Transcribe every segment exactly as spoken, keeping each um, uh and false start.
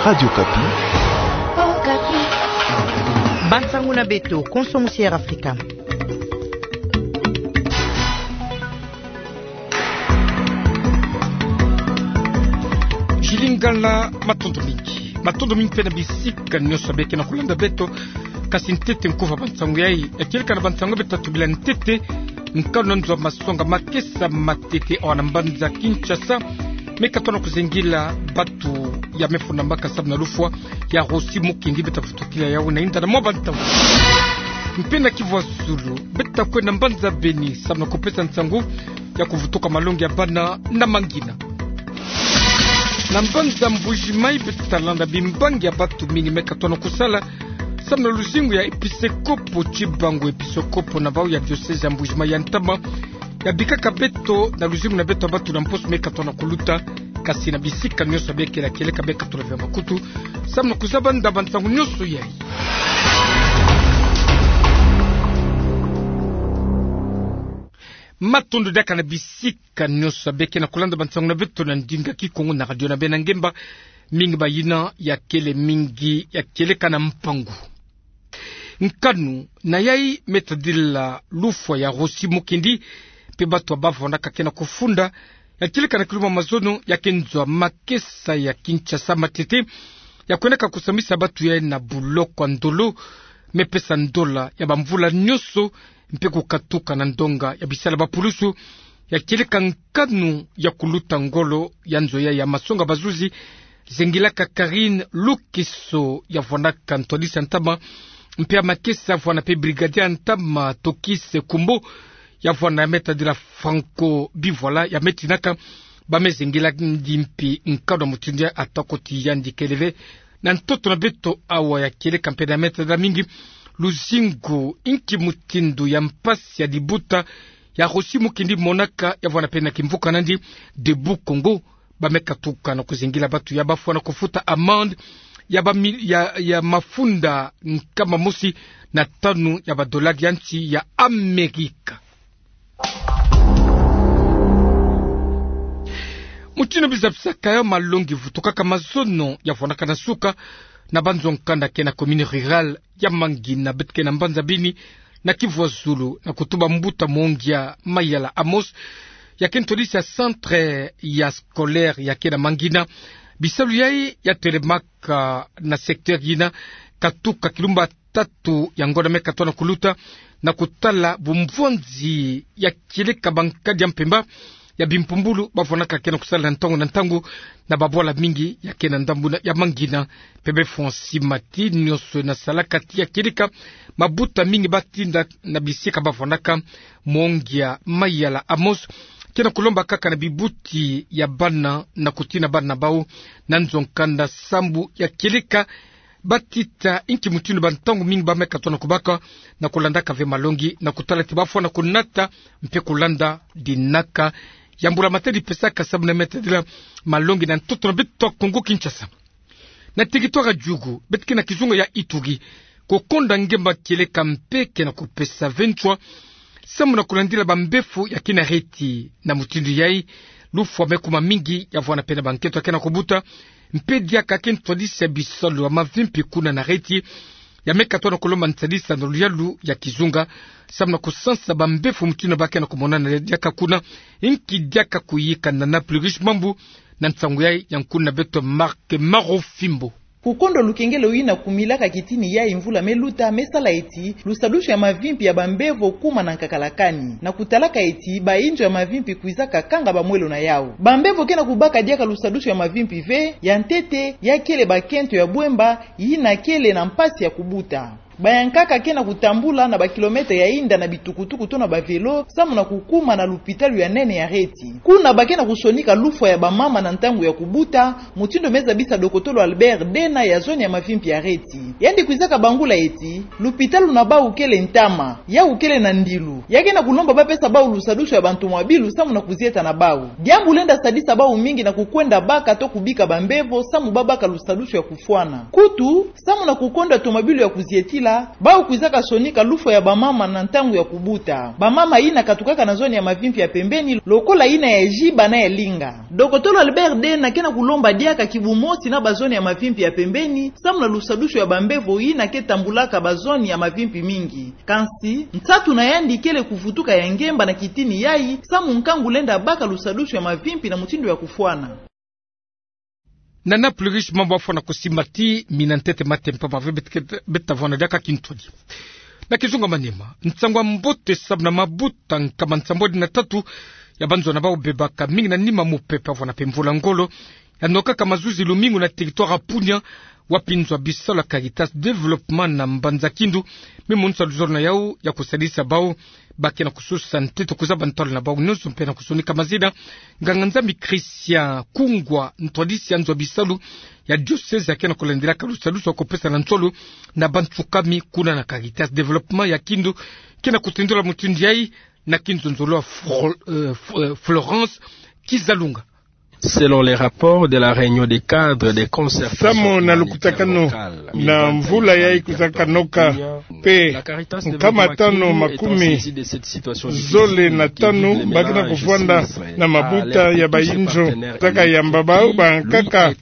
Radio Okapi. Bansangu na beto, konso musi Air Africa. Chilingala, matondo mingi. Matondo mingi mpe na bisika nyonso beke na kulanda beto. Kasi ntete nkufa bansangu yai, ya kieleka na bansangu beto tatuba ntete. Nkanu na nzo masonga makesa matete awa na mbanza Kinshasa, me katona kuzengila batu ya me funda mbaka samu na lufwa ya Rossy Mukendi, beta vutukila yau na inda na mwa bantangu. Mpe na Kivu ya Zulu, beta kwenda mbanza Beni samu na kupesa nsangu ya kuvutuka malongi ya bana na mangina. Na mbanza Mbuji-Mayi, beta landa bimbangi ya batu mingi me katona kusala samu na luzingu ya episekopo Tshibangu, episekopo na bau ya diocèse ya Mbuji-Mayi ya ntama, ya bikaka beto na luzingu na beto ya batu na mposo me katona kuluta. Kasi na bisika nyonso beke, ya kieleka me katona via makutu samu na kuzaba nda bansangu nyonso yai. Matondo diaka na bisika nyonso beke na kulanda bansangu na beto na ndinga Kikongo na radio na beno ya ngemba. Mingi bayina, ya kele mingi ya kieleka na mpangu. Nkanu na yai me tadila lufwa ya Rossy Mukendi, mpe batu ya bavonaka ke na kufunda, ya kieleka na kilumbu ya mazono ya ke nzo ya makesa ya Kinshasa matete, ya kwendaka kusambisa batu yai na buloko ya ndolo, me pesa ndola ya bamvula nyonso, mpe kukatuka na ndonga ya bisala bapulusu, ya kieleka nkanu ya kuluta ngolo ya nzo yai ya masonga bazuzi, zengilaka Karine Lukeso, ya vwanaka ntwadisi ya ntama, mpe ya makesa, vwana mpe brigadier ya ntama Tokis Kumbo, ya vwana ya me tadila Franco Bivoila, ya me tinaka ba me zengila ndi mpi nkanu ya mutindu yai, atako ti yandi kele ve na ntoto na beto awa. Ya kieleka mpe na me tadila mingi luzingu inki mutindu ya mpasi ya libuta ya Rossy Mukendi monaka, ya vwana mpe na kimvuka na ndi Debout Congo, ba me katuka na kuzengila batu yai bafwana kufuta amende ya ba mi-, ya, ya mafunda nkama mosi na tanu ya badolari ya nsi ya Amerika. Mutindu biza bisaka yai, malongi vutukaka mazono ya vwanaka na suka na banzo nkanda ke na commune rurale ya Mangina, beto ke na mbanza Beni, na Kivu ya Zulu, na kutuba mbuta Mongia Mayala Amos, ya ke ntwadisi ya centre ya scolaire ya ke na Mangina. Bisalu yai ya telemaka na secteur yina katuka kilumbu ya tatu ya ngonda me katona kuluta, na kutala bumvwanzi ya kieleka bankadi ya mpemba ya bimpumbulu bavwanaka ke na kusala na ntangu na ntangu na babwala mingi ya ke na ndambu na ya Mangina. Mpe be Francis Mati, nyonso na salaka ti ya kieleka mabuta mingi batinda na bisika bavwanaka. Mongia Mayala Amos ke na kulomba kaka na bibuti ya bana na kutina bana na bau na nzo nkanda sambu ya kieleka batita inki mutindu bantangu mingi ba me katona kubaka na kulandaka ve malongi, na kutala ti bafwana kunata mpe kulanda dinaka ya mbula matadi pesaka samu na me tadila malongi na ntoto na beto Kongo Kinshasa. Na territoire ya Djugu, beto ke na kizunga ya Ituri, kukonda ngemba kieleka mpe ke na kupesa ve nswa samu na kulandila bambevo ya ke na reti. Na mutindu yai, lufwa me kuma mingi, ya vwana mpe na bankento ya ke na kubuta, mpe diaka ke ntwadisi ya bisalu ya mavimpi kuna na reti, ya me katona kulomba nsadisa na luyalu ya kizunga samu na kusansa bambevo mutindu ba ke na kumonana diaka kuna. Inki diaka kuyika na Plus Riche Mambu, na nsangu yai ya nkuna beto Marc Marofimbo. Kukonda lukengelo yina kumilaka kitini yai mvula me luta me sala eti lusadusu ya mavimpi ya bambevo kuma na nkakalakani, na kutalaka eti bainzo ya mavimpi kwizaka kanga bamwelo na yau. Bambevo ke na kubaka diaka lusadusu ya mavimpi ve, ya ntete, ya kele bakento ya bwemba yina kele na mpasi ya kubuta. Bayankaka ke na kutambula na bakilometre ya inda na bitukutuku to na bavelo samu na kukuma na lupitalu ya nene ya reti. Kuna ba ke na kusonika lufwa ya bamama na ntangu ya kubuta, mutindu me zabisa dokotolo Albert Dena ya zone ya mavimpi ya reti. Yandi kwizaka bangula eti lupitalu na bau kele ntama, yau kele na ndilu. Ya ke na kulomba bapesa bau lusadusu ya bantomwabilu samu na kuzieta na bau. Diambu lenda sadisa bau mingi na kukwenda baka to kubika bambevo samu babaka lusadusu ya kufwana. Kutu, samu na kukonda tomabilu ya kuzietila, Bau kwizaka sonika lufwa ya bamama na ntangu ya kubuta. Bamama yina katukaka na zone ya mavimpi ya pembeni, lokola yina ya Jiba na ya Linga. Dokotolo Albert Dena ke na kulomba diaka kibu mosi na bazone ya mavimpi ya pembeni, samu na lusadusu ya bambevo yina ke tambulaka bazone ya mavimpi mingi. Kansi, nsatu na yandi kele kuvutuka ya ngemba na kitini yayi, samu nkangu lenda baka lusadusu ya mavimpi na mutindu ya kufwana. Nana plurish mambu afwana kusimati, mina ntete mate mpamba ve bet-, bet-, beta vwana diaka kintwadi. Na kizunga manima, nsangu wa mbote samu na mabuta nkama nsambwadi na tatu ya banzona bau bebaka mingi na nima mupepe avwana mpe mvula ngolo, ya nokaka mazuzi lumingu na territoire ya Punia, wapi nzo ya bisalu ya Caritas Développement na mbanza Kindu, me monisa luzolo na yau ya kusadisa bau ba ke na kusosa ntete kuzaba ntalu na bau nyonso mpe na kusonika mazina. Nganga-Nzambi Christian Kungwa, ntwadisi ya nzo ya bisalu ya diocèse, ya ke na kulandilaka lusadusu ya kupesa na nsolo na bansukami kuna na Caritas Développement ya Kindu, ke na kutendula mutindu yayi na kinzonzolo ya Fro-, eh, F-, eh, Florence Kizalunga. Selon les rapports de la réunion des cadres de concertation humanitaire locale, samu na lukutakanu na mvula yayi kwizaka noka, mpe nkama tanu makumi zole na tanu ba ke na kuvwanda na mabuta ya bayinzo, zaka yamba bau bankaka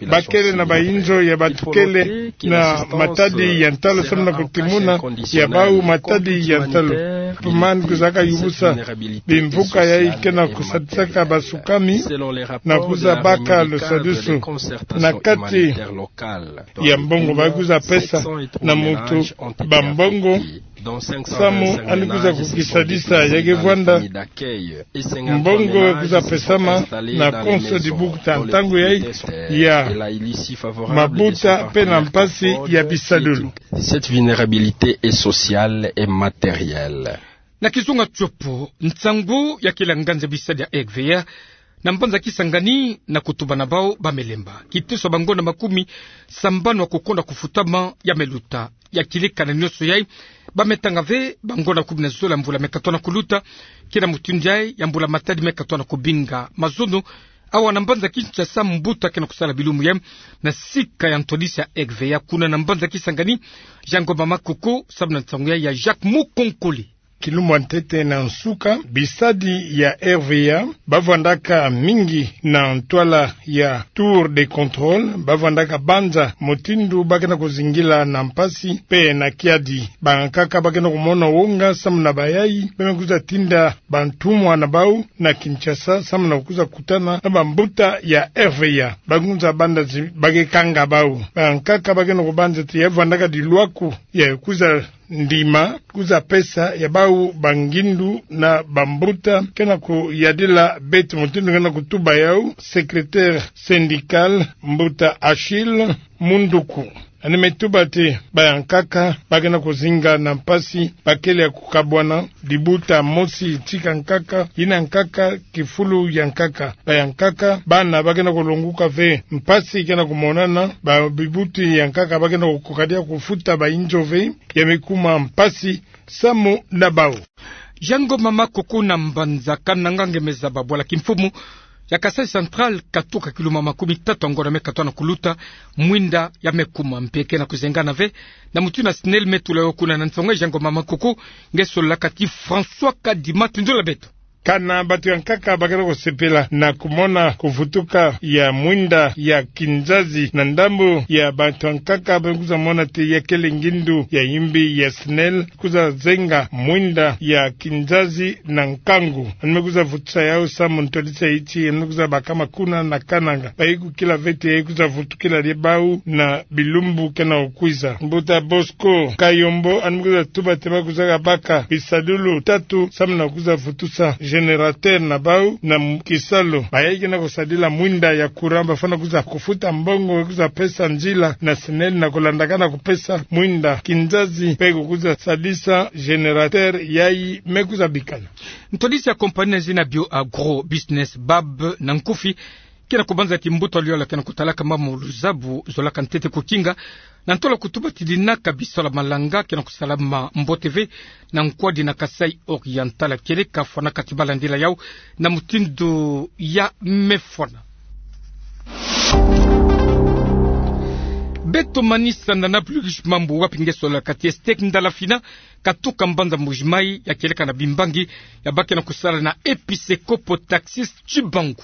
ba kele na bayinzo ya batukele na matadi ya ntalu samu na kutimuna ya bau matadi ya ntalu. Tumani kwizaka yubusa bimvuka yayi ke na kusadisaka bansukami na kwiza baka lusadusu na kati ya mbongo ba kwiza pesa na muntu bambongo, samu yandi kwiza kukisadisa ya ke vwanda mbongo kwiza pesama na konso dibukuta ntangu yayi ya mabuta mpe na mpasi ya bisadulu. Cette vulnérabilité est sociale et matérielle. Na kizunga tiopo, nsangu ya kila nganzi ya bisalu ya R V A na mbanza Kisangani na kutuba na bau ba me lemba kiteso ya bangonda makumi sambanu ya kukonda kufutama ya me luta. Ya kileka na nyonso yayi, ba me tanga ve bangonda kumi na zole ya mvula me katoa na kuluta, ke na mutindu yayi ya mbula matadi me katoa na kubinga mazono. Awa na mbanza Kinshasa, mbuta ke na kusala bilumbu yayi na sika ya ntwadisi ya R V A kuna na mbanza Kisangani, Jean Ngoma Makoko, samu na nsangu yayi ya Jacques Mukonkole. Kilumbu ya ntete na nsuka, bisadi ya R V A ba vwandaka mingi na ntwala ya tour de contrôle, ba vwandaka banza mutindu ba ke na kuzingila na mpasi mpe na kiadi. Bankaka ba ke na kumona wonga samu na bayayi ba me kwiza tinda bantumwa na bau na Kinshasa samu na kwiza kutana na bambuta ya R V A. Ba kwiza banda ti ba ke kanga bau. Bankaka ba ke na kubanza ti ya vwandaka dilwaku ya kwiza ndima, kwiza pesa ya bau bangindu na bambuta. Ke na kuyadila beto mutindu ke na kutuba yau secrétaire syndical, mbuta Achille Munduku. Yandi me tuba ti bayankaka ba ke na kuzinga na mpasi, ba kele ya kukabwana, dibuta mosi tika nkaka, yina nkaka, kifulu ya nkaka. Bayankaka, bana ba ke na kulonguka ve, mpasi ke na kumonana, ba bibuti ya nkaka ba ke na kukoka dia kufuta bayinzo ve, ya me kuma mpasi samu na bau. Jean Ngoma Makoko na mbanza Kananga nge me zaba bwala kimfumu ya Kasaï Central, katuka kiluma makumi tatu ya ngonda me katoa na kuluta, mwinda ya me kuma mpe ke na kuzengana ve na mutindu SNEL me tula yo kuna. Na nsangu yayi Jean Ngoma Makoko nge sololaka ti François Kadima, tindula beto. Kana bantu ya nkaka ba ke na kusepela na kumona kuvutuka ya mwinda ya kinzazi na ndambu ya bantu ya nkaka ba kwiza mona ti ya kele ngindu ya yimbi ya SNEL kwiza zenga mwinda ya kinzazi na nkangu. Yandi me kwiza vutusa yau samu ntwadisi ya iti, yandi me kwiza bakama kuna na Kananga. Bayi kukila ve ti ya kwiza vutukila die bau na bilumbu ke na kukwiza. Mbuta Bosco Kayombo, yandi me kwiza tuba ti ba kwizaka baka bisadulu tatu samu na kwiza vutusa générateur na bau na m-, kisalu. Bayayi ke na kusadila mwinda ya courant ba fwana kwiza kufuta mbongo, kwiza pesa nzila na SNEL na kulandakana kupesa mwinda kinzazi mpe kukwiza sadisa générateur yayi me kwiza bikana. Ntwadisi ya compagnie na zina Bio Agro Business, BAB na nkufi, ke na kubanza ti mbuta liola ke na kutalaka mambu luzabu zolaka ntete kukinga, na ntolo kutuba ti dinaka bisalu ya malanga ke na kusalama mbote ve na nkwadi na Kasaï Oriental, kele ka fwanaka ti ba landila yau na mutindu ya me fwana. Beto Tomanisa na Nablus Mambu, wapi nge sola kati ya steak Ndala Fina, katuka mbanza Mbuji-Mayi, ya kieleka na bimbangi ya ba ke na kusala na Episcopo Taxis Chibangu.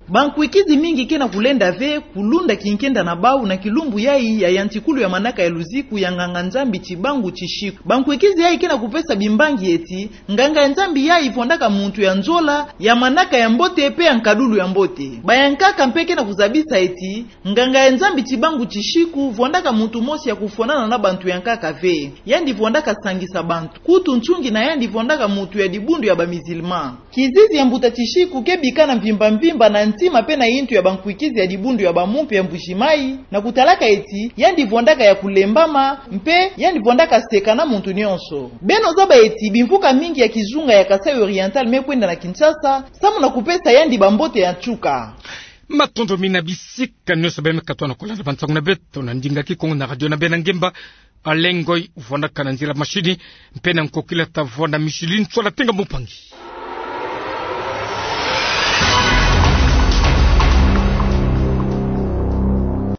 Bankwikizi mingi ke na kulenda ve kulunda kinkenda na bau na kilumbu yayi ya yantikulu ya manaka ya luziku ya nganga-Nzambi Chibangu Chishiku. Bankwikizi yayi ke na kupesa bimbangi eti, nganga ya Nzambi yayi vwandaka muntu ya nzola, ya manaka ya mbote pe ya nkadulu ya mbote. Bayankaka mpe ke na kuzabisa eti, nganga ya Nzambi Chibangu Chishiku vwandaka muntu mosi ya kufwanana na bantu yankaka ve. Yandi vwandaka sangisa bantu. Kutu nchungi na yandi vwandaka muntu ya dibundu ya ba musulman. Kizizi ya mbuta Chishiku ke bika na mvimba-mvimba na ntima pe na yintu ya bankwikizi ya dibundu ya bamumpe ya Mbuji-Mayi, na kutalaka eti, yandi vwandaka ya kulembama, mpe yandi vwandaka seka na muntu nyonso. Beno zaba eti, bimvuka mingi ya kizunga ya Kasaï Oriental me kwenda na Kinshasa, samu na kupesa yandi bambote ya nsuka. Matondo mingi na bisika nyonso beno me katona kolanda bansangu na beto na ndinga Kikongo na radio na beno ngemba. Alain Ngoy vwandaka na nzila mashini, mpe na nkokila ta vwanda Micheline Ntsoila Tenga Mumpangi.